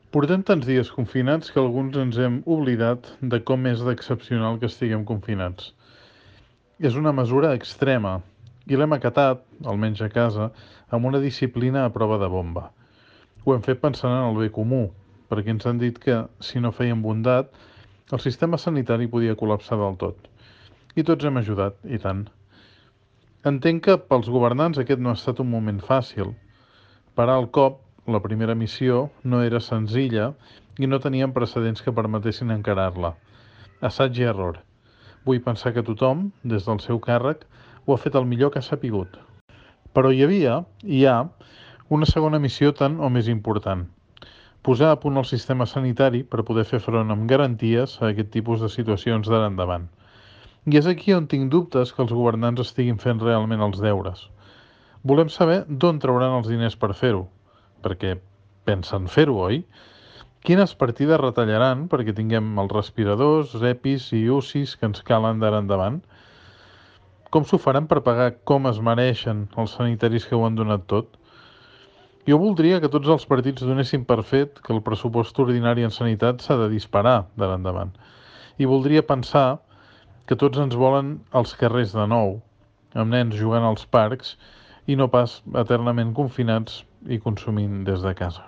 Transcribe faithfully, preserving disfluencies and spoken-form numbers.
Portem tants dies confinats que alguns ens hem oblidat de com és d'excepcional que estiguem confinats. És una mesura extrema i l'hem acatat, almenys a casa, amb una disciplina a prova de bomba. Ho hem fet pensant en el bé comú, perquè ens han dit que, si no fèiem bondat, el sistema sanitari podia col·lapsar del tot. I tots hem ajudat, i tant. Entenc que pels governants aquest no ha estat un moment fàcil. Parar el cop, la primera missió, no era senzilla i no teníem precedents que permetessin encarar-la. Assaig i error. Vull pensar que tothom, des del seu càrrec, ho ha fet el millor que ha sapigut. Però hi havia, i hi ha, una segona missió tan o més important. Posar a punt el sistema sanitari per poder fer front amb garanties a aquest tipus de situacions d'ara endavant. I és aquí on tinc dubtes que els governants estiguin fent realment els deures. Volem saber d'on trauran els diners per fer-ho, perquè pensen fer-ho, oi? Quines partides retallaran perquè tinguem els respiradors, EPIs i U C Is que ens calen d'ara endavant? Com s'ho faran per pagar com es mereixen els sanitaris que ho han donat tot? Jo voldria que tots els partits donessin per fet que el pressupost ordinari en sanitat s'ha de disparar d'ara endavant. I voldria pensar que tots ens volen als carrers de nou, amb nens jugant als parcs i no pas eternament confinats i consumint des de casa.